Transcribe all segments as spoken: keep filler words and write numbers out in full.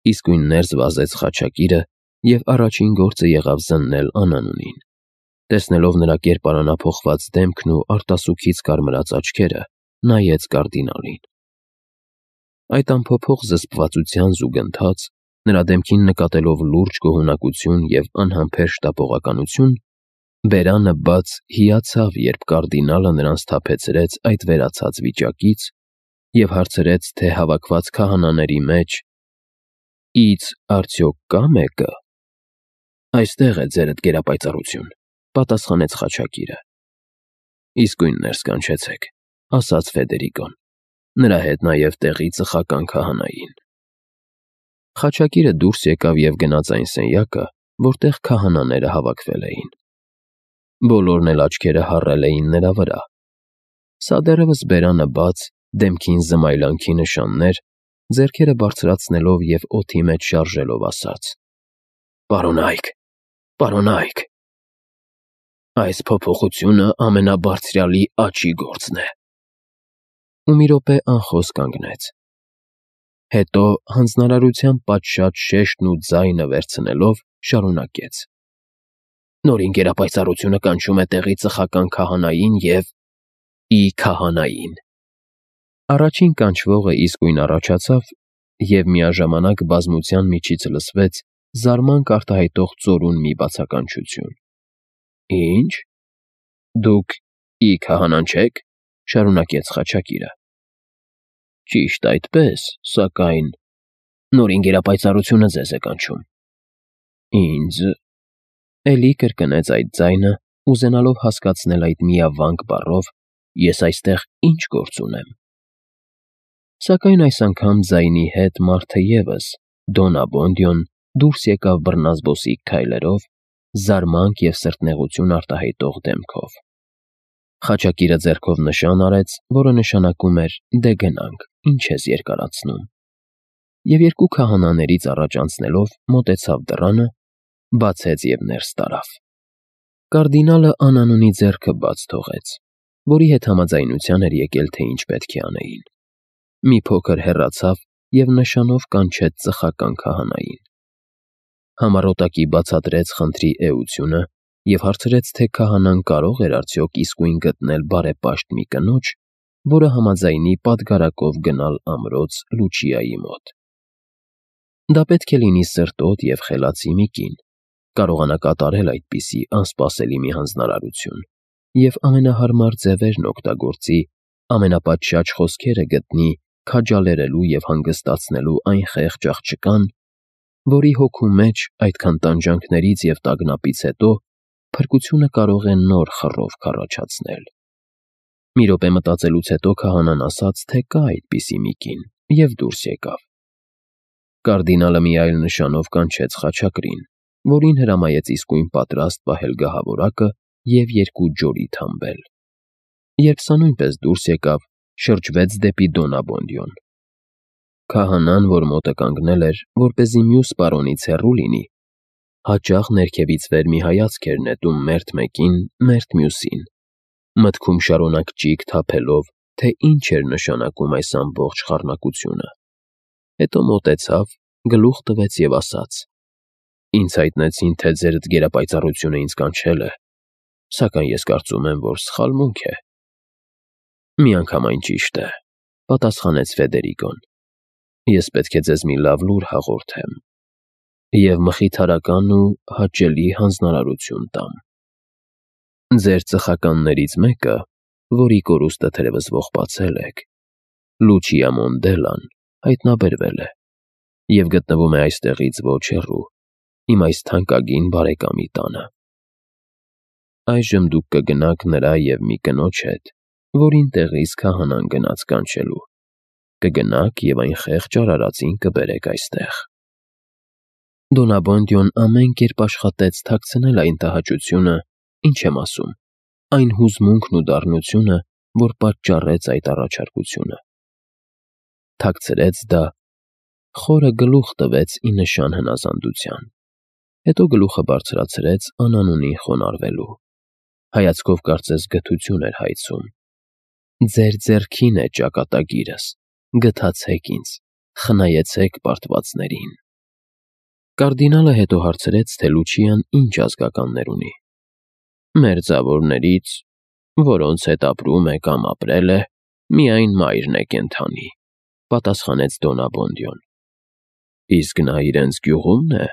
Իսկույն ներս վազեց խաչակիրը և առաջին գործը եղավ զննել Անանունին։ Տեսնելով նրա կերպարանափոխված դեմքն ու արտասուքից կարմրած աչքերը, նայեց կարդինալին։ Այդ անփոփոխ զսպվածության զուգընթաց, նրա դեմքին նկատելով լուրջ գոհունակություն և անհամբեր շտապողականություն, բերանը բաց հիացավ, երբ կարդինալը նրան սթափեցրեց այդ վերացած վիճակից և հարցրեց, թե հավաքված քահանաների մեջ «Ի՞ց արդյոք կա՞ մեկը»։ «Այստեղ է, ձերդ գերապայծառություն», պատասխանեց խաչակիրը։ «Իսկույն ներս կանչեցեք», ասաց Ֆեդերիկոն, նրա հետ նաև տեղի ծխական քահանային։ Խաչակիրը դուրս եկավ և գնաց այն սենյակը, որտեղ քահանաները հավաքվել էին։ Բոլորն էլ աչքերը հառել էին նրա վրա։ Սա դեռևս բերանը բաց, դեմքին զմայլանքի նշաններ, ձեռքերը բարձրացնելով և օդի մեջ շարժելով ասաց. «Պարոնա՛յք, պարոնա՛յք, այս փոփոխությունը ամենաբարձրյալի աջի գործն է»։ Ու մի րոպե անխոս կանգնեց։ Հետո, հանձնարարության պատշաճ շեշտն ու ձայնը վերցնելով, շարունակեց. «Նորին գերապայծառությունը կանչում է տեղի ծխական քահանային և… ի քահանային»։ Առաջին կանչվողը իսկույն առաջացավ, և միաժամանակ բազմության միջից լսվեց զարմանք արտահայտող ծորուն մի բացականչություն. «Ի՞նչ, դուք ի քահանան չե՞ք», շարունակեց խաչակիրը։ «Ճիշտ այդպես, սակայն… Նորին գերապայծառությունը ձեզ է կանչում»։ «Ինձ…»։ Էլի կրկնեց այդ ձայնը, ուզենալով հասկացնել այդ միավանք բառով՝ ես այստեղ ինչ գործ ունեմ։ Սակայն այս անգամ ձայնի հետ մարդը ևս, Դոն Աբոնդիոն, դուրս եկավ բռնազբոսիկ քայլերով, զարմանք և սրտնեղություն արտահայտող դեմքով։ Խաչակիրը ձեռքով նշան արեց, որը նշանակում էր «դե գնանք, ինչ ես երկարացնում», և երկու քահանաներից առաջ անցնելով մոտեցավ դռանը, բացեց և ներս տարավ։ Կարդինալը Անանունի ձեռքը բաց թողեց, որի հետ համաձայնության էր եկել, թե ինչ պետք է անեին։ Մի փոքր հեռացավ և նշանով կանչեց ծխական քահանային։ Համառոտակի բացատրեց խնդրի էությունը և հարցրեց, թե քահանան կարո՞ղ էր արդյոք իսկույն գտնել բարեպաշտ մի կնոջ, որը համաձայնի պատգարակով գնալ ամրոց Լուչիայի մոտ։ Դա պետք է լինի սրտոտ և խելացի մի կին, կարողանա կատարել այդպիսի անսպասելի մի հանձնարարություն և ամենահարմար ձևերն օգտագործի, ամենապատշաճ խոսքերը գտնի քաջալերելու և հանգստացնելու այն խեղճ աղջկան, որի հոգու մեջ այդքան տանջանքներից և տագնապից հետո փրկությունը կարող է նոր խռով քառաչացնել։ Մի րոպե մտածելուց հետո քահանան ասաց, թե կա այդպիսի մի կին, և դուրս եկավ։ Կարդինալը մի այլ նշանով կանչեց խաչակրին, որին հրամայեց իսկույն պատրաստ պահել գահավորակը և երկու ջորիդ հանբել։ Երբ սա նույնպես դուրս եկավ, շրջվեց դեպի Դոն Աբոնդիոն։ Քահանան, որ մոտը կանգնել էր, որպեսզի մյուս պարոնից հեռու լինի, հաճախ ներքևից վեր մի հայացք էր նետում մերթ մեկին, մերթ մյուսին, մտքում շարունակ ճիգ թափելով, թե ինչ էր նշանակում այս ամբողջ խառնակությունը։ Հետո մոտեցավ, գլուխ տվեց և ասաց. «Ինձ հայտնեցին, թե ձերդ գերապայծառությունը ինձ կանչել է, սակայն ես կարծում եմ, որ սխալմունք է»։ «Միանգամայն ճիշտ է», պատասխանեց Ֆեդերիկոն։ «Ես պետք է ձեզ մի լավ լուր հաղորդեմ և մխիթարական ու հաճելի հանձնարարություն տամ։ Ձեր ծխականներից մեկը, որի կորուստը թերևս ողբացել եք, Լուչիա Մոնդելան, հայտնաբերվել է և գտնվում է այստեղից ոչ հեռու, իմ այս թանկագին բարեկամի տանը։ Այժմ դուք կգնաք նրա և մի կնոջ հետ, որին տեղից քահանան գնաց կանչելու, կգնաք և այն խեղճ արարածին կբերեք այստեղ»։ Դոն Աբոնդիոն ամեն կերպ աշխատեց թաքցնել այն տհաճությունը, ինչ եմ ասում, այն հուզմունքն ու դառնությունը, որ պատճառեց այդ առաջարկությունը։ Թաքցրեց դա, խորը գլուխ տվեց ի նշան հնազանդության, հետո գլուխը բարձրացրեց Անանունին խոնարհվելու։ Հայացքով կարծես գթություն էր հայցում։ «Ձեր ձեռքին է ճակատագիրս, գթացեք ինձ, խնայեցեք պարտվածներին»։ Կարդինալը հետո հարցրեց, թե Լուչիան ինչ ազգականներ ունի։ Մերձավորներից, որոնց հետ ապրում է կամ ապրել է, միայն մայրն է կենդանի, պատասխանեց Դոնաբոնդյոն։ Իսկ նա իրենց գյուղումն է։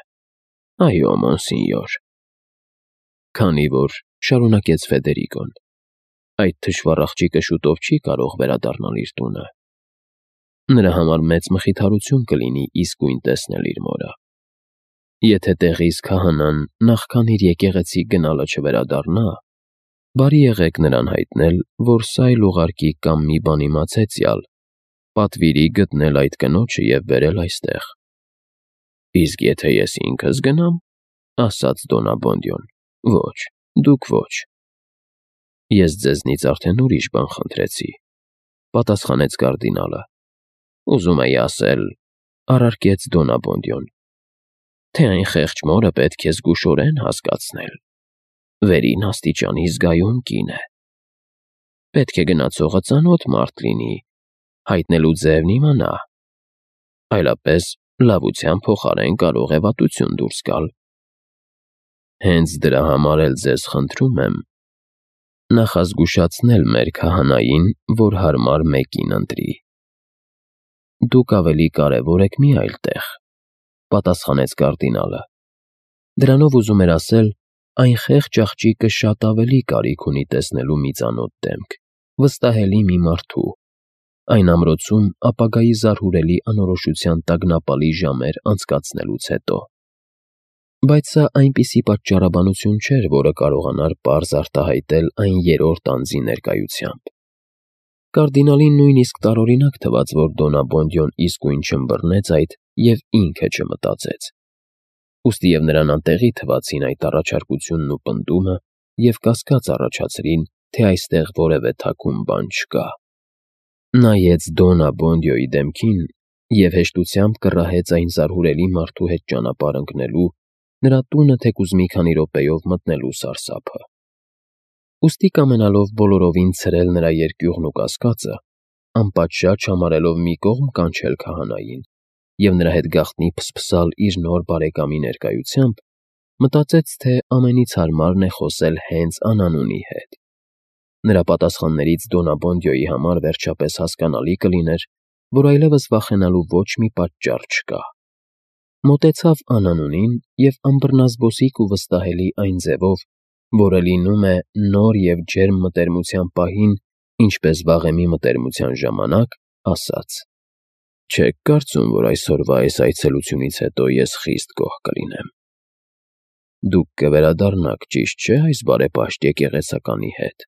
Այո, մոնսինյոր։ Քանի որ, շարունակեց Ֆեդերիկոն, այդ թշվառ աղջիկը շուտով չի կարող վերադառնալ իր տունը։ Նրա համար մեծ մխիթարություն կլինի իսկույն տեսնել իր մորը։ Եթե տեղիս քահանան նախքան իր եկեղեցի գնալը չվերադառնա, բարի եղեք նրան հայտնել, որ սայլ ուղարկի կամ մի բան իմացեցյալ, պատվիրի գտնել այդ կնոջը և բերել այստեղ։ Իսկ եթե ես ինքս գնամ, ասաց Դոնաբոնդյոն, ոչ, դուք ոչ։ Ես ձեզնից արդեն ուրիշ բան խնդրեցի, պատասխանեց կարդինալը։ Ուզում էի ասել, առարկեց Դոնաբոնդյոն, թե այն խեղճ մորը պետք է զգուշորեն հասկացնել։ Վերին աստիճանի զգայուն կին է։ Պետք է գնացողը ծանոթ մարդ լինի, հայտնելու ձևն իմանա, այլապես լավության փոխարեն կարող է վատություն դուրս գալ։ Հենց դրա համար էլ ձեզ խնդրում եմ նախազգուշացնել մեր քահանային, որ հարմար մեկին ընտրի։ Դուք ավելի կարևոր եք մի այլ տեղ, պատասխանեց կարդինալը։ Դրանով ուզում էր ասել, այն խեղճ աղջիկը շատ ավելի կարիք ունի տեսնելու մի ծանոթ դեմք, վստահելի մի մարդու, այն ամրոցում ապագայի զարհուրելի անորոշության տագնապալի ժամեր անցկացնելուց հետո։ Բայց սա այնպիսի պատճառաբանություն չէր, որը կարողանար պարզ արտահայտել այն երրորդ անձի ներկայությամբ։ Կարդինալին նույնիսկ տարօրինակ թվաց, որ Դոնաբոնդյոն իսկույն չըմբռնեց այդ և ինքը չմտածեց։ Ուստի և նրան անտեղի թվացին այդ առաջարկությունն ու պնդումը և կասկած առաջացրին, թե այստեղ որևէ թաքուն բան չկա։ Նայեց Դոնաբոնդյոյի դեմքին և հեշտությամբ կռահեց այն զարհուրելի մարդու հետ ճանապարհ ընկնելու, նրա տունը թեկուզ մի քանի րոպեով մտնելու սարսափը։ Ուստի կամենալով բոլորովին ցրել նրա երկյուղն ու կասկածը, անպատշաճ համարելով մի կողմ կանչել քահանային և նրա հետ գաղտնի փսփսալ իր նոր բարեկամի ներկայությամբ, մտածեց, թե ամենից հարմարն է խոսել հենց անանունի հետ։ Նրա պատասխաններից Դոնաբոնդյոյի համար վերջապես հասկանալի կլիներ, որ այլևս վախենալու ոչ մի պատճառ չկա։ Մոտեցավ անանունին և անբռնազբոսիկ ու վստահելի այն ձևով, որը լինում է նոր և ջերմ մտերմության պահին, ինչպես վաղեմի մտերմության ժամանակ, ասաց. Չեք կարծում, որ այսօրվա այս այցելությունից հետո ես խիստ գոհ կլինեմ։ Դուք կվերադառնաք, ճիշտ չէ՞, այս բարեպաշտ եկեղեցականի հետ։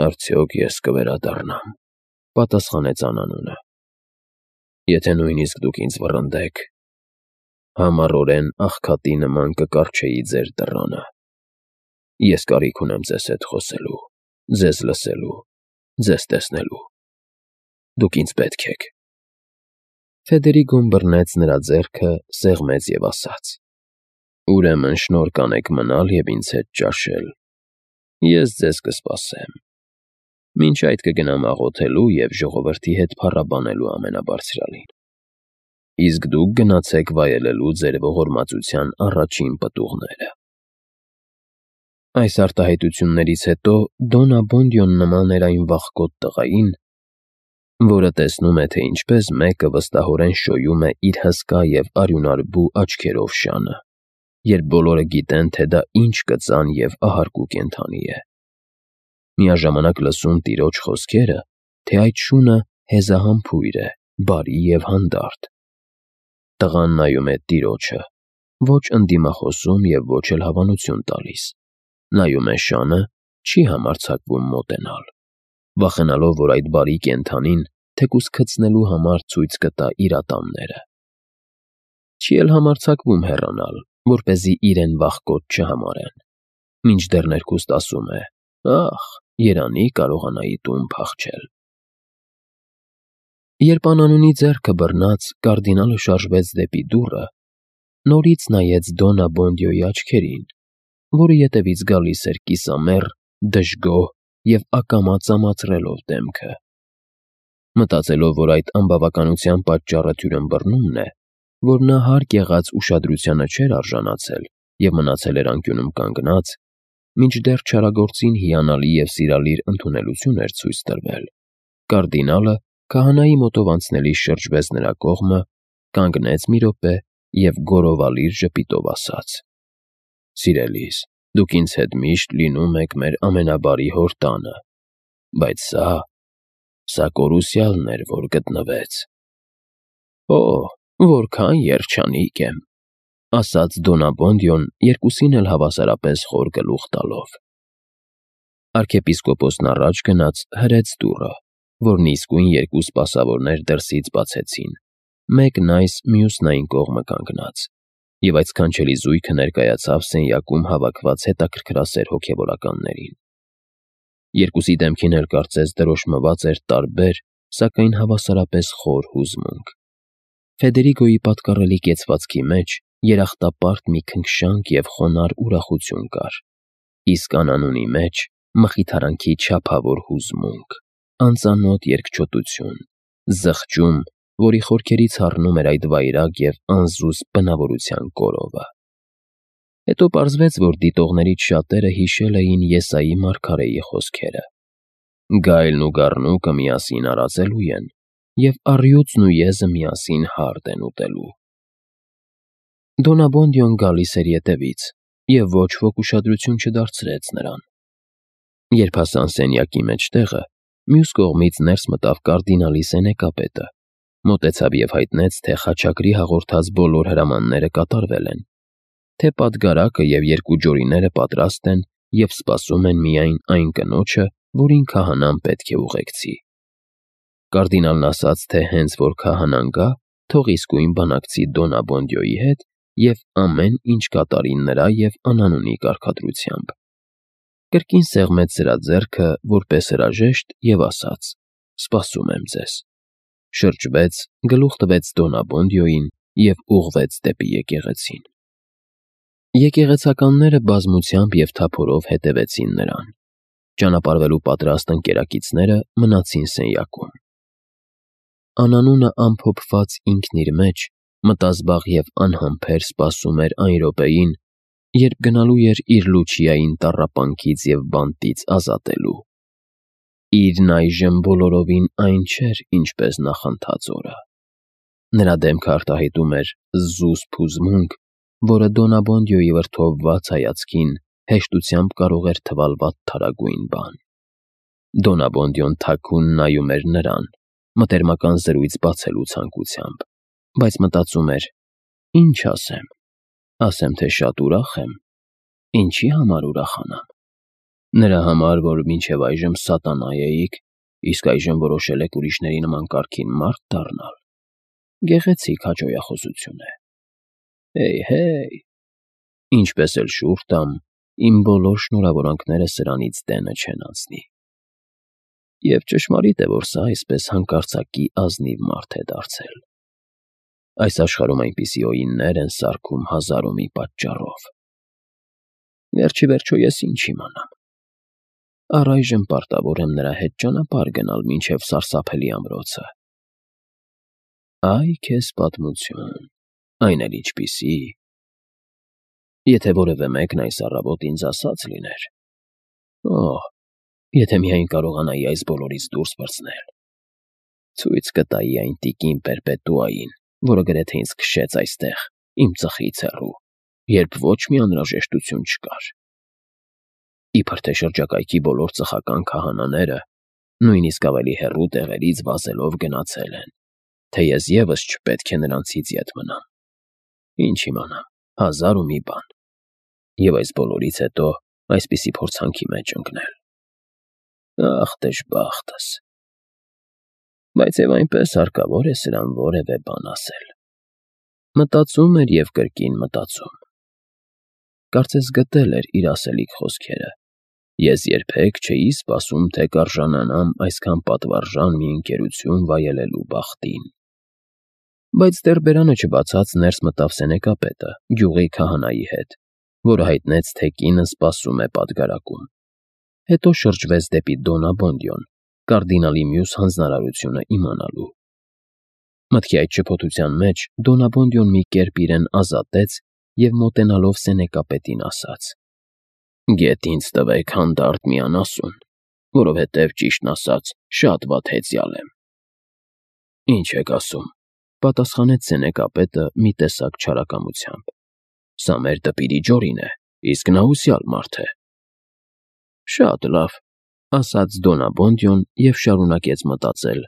Արդյոք ես կվերադառնամ, պատասխանեց անանունը։ Եթե նույնիսկ դուք ինձ վռնդեք, համառորեն աղքատի նման կկառչեի ձեր դռանը։ Ես կարիք ունեմ ձեզ հետ խոսելու, ձեզ լսելու, ձեզ տեսնելու։ Դուք ինձ պետք եք։ Ֆեդերիկոն բռնեց նրա ձեռքը, սեղմեց և ասաց. Ուրեմն շնորհ կանեք մնալ և ինձ հետ ճաշել։ Ես ձեզ կսպասեմ։ Մինչ այդ կգնամ աղոթելու և ժողովրդի հետ փառաբանելու ամենաբարձրյալին։ Իսկ դուք գնացեք վայելելու ձեր ողորմածության առաջին պտուղները։ Այս արտահայտություններից հետո Դոնաբոնդյոն նման էր այն վախկոտ տղային, որը տեսնում է, թե ինչպես մեկը վստահորեն շոյում է իր հսկա և արյունարբու աչքերով շանը, երբ բոլորը գիտեն, թե դա ինչ կծան և ահարկու կենդանի է։ Միաժամանակ լսում տիրոջ խոսքերը, թե այդ շունը հեզահամբույր է, բարի և հանդարտ։ Տղան նայում է տիրոջը, ոչ ընդդիմախոսում և ոչ էլ հավանություն տալիս։ Նայում է շանը, չի համարձակվում մոտենալ, վախենալով, որ այդ բարի կենդանին թեկուզ քծնելու համար ցույց կտա իր ատամները։ Չի էլ համարձակվում հեռանալ, որպեսզի իրեն վախկոտ չհամարեն, մինչդեռ ներքուստ ասում է. «Ախ, երանի կարողանայի տուն փախչել»։ Երբ անանունի ձեռքը բռնած, կարդինալը շարժվեց դեպի դուռը, նորից նայեց Դոնաբոնդյոյի աչքերին, որի ետևից գալիս էր կիսամեռ, դժգոհ և ակամա ծամացրելով դեմքը։ Մտածելով, որ այդ անբավականության պատճառը թյուրըմբռնումն է, որ նա հարկ եղած ուշադրությանը չէր արժանացել և մնացել էր անկյունում կանգնած, մինչդեռ չարագործին հիանալի և սիրալիր ընդունելություն էր ցույց տրվել, կարդինալը քահանայի մոտով անցնելիս շրջվեց նրա կողմը, կանգնեց մի րոպե և գոռովալիր ժպիտով ասաց. «Սիրելիս, դուք ինձ հետ միշտ լինում եք մեր ամենաբարի հոր տանը, բայց սա, սա կորուսյալն էր, որ գտնվեց»։ «Օ՜, որքան երջանիկ եմ», ֊ ասաց Դոնաբոնդյոն, երկուսին էլ հավասարապես խոր գլուխ տալով։ Արքեպիսկոպոսն առաջ գնաց, հրեց դուռը, որն իսկույն երկու սպասավորներ դրսից բացեցին, մեկն այս, մյուսն այն կողմը կանգնած, և այդ սքանչելի զույգը ներկայացավ սենյակում հավաքված հետաքրքրասեր հոգևորականներին։ Երկուսի դեմքին էլ կարծես դրոշմված էր տարբեր, սակայն հավասարապես խոր հուզմունք։ Ֆեդերիկոյի պատկառելի կեցվածքի մեջ երախտապարտ մի քնքշանք և խոնարհ ուրախություն կար, իսկ անանունի մեջ մխիթարանքի չափավոր հուզմունք, անծանոթ երկչոտություն, զղջում, որի խորքերից հառնում էր այդ վայրագ և անզուսպ բնավորության կորովը։ Հետո պարզվեց, որ դիտողներից շատերը հիշել էին Եսայի մարգարեի խոսքերը. «Գայլն ու գառնուկը միասին արածելու են, և առյուծն ու եզը միասին հարդ են ուտելու»։ Դոնաբոնդյոն գալիս էր ետևից, և ոչ ոք ուշադրություն չդարձրեց նրան։ Երբ հասան սենյակի մեջտեղը, մյուս կողմից ներս մտավ կարդինալի սենեկապետը, մոտեցավ և հայտնեց, թե խաչակրի հաղորդած բոլոր հրամանները կատարվել են, թե պատգարակը և երկու ջորիները պատրաստ են և սպասում են միայն այն կնոջը, որին քահանան պետք է ուղեկցի։ Կարդինալն ասաց, թե հենց որ քահանան գա, թող իսկույն բանակցի Դոնաբոնդյոյի հետ և ամեն ինչ կատարի նրա և անանունի կարգադրությամբ։ Կրկին սեղմեց սրա ձեռքը որպես հրաժեշտ և ասաց. «Սպասում եմ ձեզ», շրջվեց, գլուխ տվեց Դոնաբոնդյոյին և ուղղվեց դեպի եկեղեցին։ Եկեղեցականները բազմությամբ և թափորով հետևեցին նրան։ Ճանապարհվելու պատրաստ ընկերակիցները մնացին սենյակում։ Անանունը ամփոփված ինքն իր մեջ, մտազբաղ և անհամբեր սպասում էր այն րոպեին, երբ գնալու էր իր Լուչիային տառապանքից և բանտից ազատելու։ Իրն այժմ բոլորովին այն չէր, ինչպես նախանցած օրը։ Նրա դեմքը արտահայտում էր զուսպ հուզմունք, որը Դոնաբոնդյոյի վրդովված հայացքին հեշտությամբ կարող էր թվալ վատթարագույն բան։ Դոնաբոնդյոն թաքուն նայում էր նրան, մտերմական զրույց բացելու ցանկությամբ, բայց մտածում էր. «Ինչ ասեմ, ասեմ, թե շատ ուրախ եմ, ինչի համար ուրախանամ։ Նրա համար, որ մինչև այժմ սատանա էիք, իսկ այժմ որոշել եք ուրիշների նման կարգին մարդ դառնալ։ Գեղեցիկ հաճոյախոսություն է։ Հեյ֊հեյ, ինչպես էլ շուռ տամ, իմ բոլոր շնորհավորանքները սրանից դենը չեն անցնի։ Եվ ճշմարիտ է, որ սա այսպես հանկարծակի ազնիվ մարդ է դարձել։ Այս աշխարհում այնպիսի օիններ են սարքում հազար ու մի պատճառով։ Վերջիվերջո ես ինչ իմանամ։ Առայժմ պարտավոր եմ նրա հետ ճանապարհ գնալ մինչև սարսափելի ամրոցը։ Այ քեզ պատմություն, այն էլ ինչպիսի։ Եթե որևէ մեկն այս առավոտ ինձ ասած լիներ… Օհ, եթե միայն կարողանայի այս բոլորից դուրս պրծնել… Ցույց կտայի այն տիկին Պերպետուային, որը գրեթե ինձ քշեց այստեղ, իմ ծխից հեռու, երբ ոչ մի անհրաժեշտություն չկար։ Իբր թե շրջակայքի բոլոր ծխական քահանաները, նույնիսկ ավելի հեռու տեղերից վազելով գնացել են, թե ես ևս չպետք է նրանցից ետ մնամ։ Ինչ իմանամ, հազար ու մի բան։ Եվ այս բոլորից հետո այսպիսի փորձանքի մեջ ընկնել… Ախ, դժբախտս… Բայց և այնպես հարկավոր է սրան որևէ բան ասել։ Մտածում էր և կրկին մտածում։ Կարծես գտել էր իր ասելիք խոսքերը. «Ես երբեք չէի սպասում, թե կարժանանամ այսքան պատվարժան մի ընկերություն վայելելու բախտին»։ Բայց դեռ բերանը չբացած ներս մտավ սենեկապետը՝ գյուղի քահանայի հետ, որը հայտնեց, թե կինը սպասում է պատգարակում։ Հետո շրջվեց դեպի Դոնաբոնդյոն՝ կարդինալի մյուս հանձնարարությունը իմանալու։ Մտքի այդ շփոթության մեջ Դոնաբոնդյոն մի կերպ իրեն ազատեց և մոտենալով սենեկապետին ասաց. «Գեթ ինձ տվեք հանդարտ մի անասուն, որովհետև, ճիշտն ասած, շատ վատ հեծյալ եմ»։ «Ինչ եք ասում,֊ պատասխանեց սենեկապետը մի տեսակ չարակամությամբ,֊ սա մեր դպիրի Ջորին է, իսկ նա հուսյալ մարդ է»։ «Շատ լավ,֊ ասաց Դոնաբոնդյոն և շարունակեց մտածել.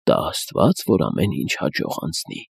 «տա աստված, որ ամեն ինչ հաջող անցնի»։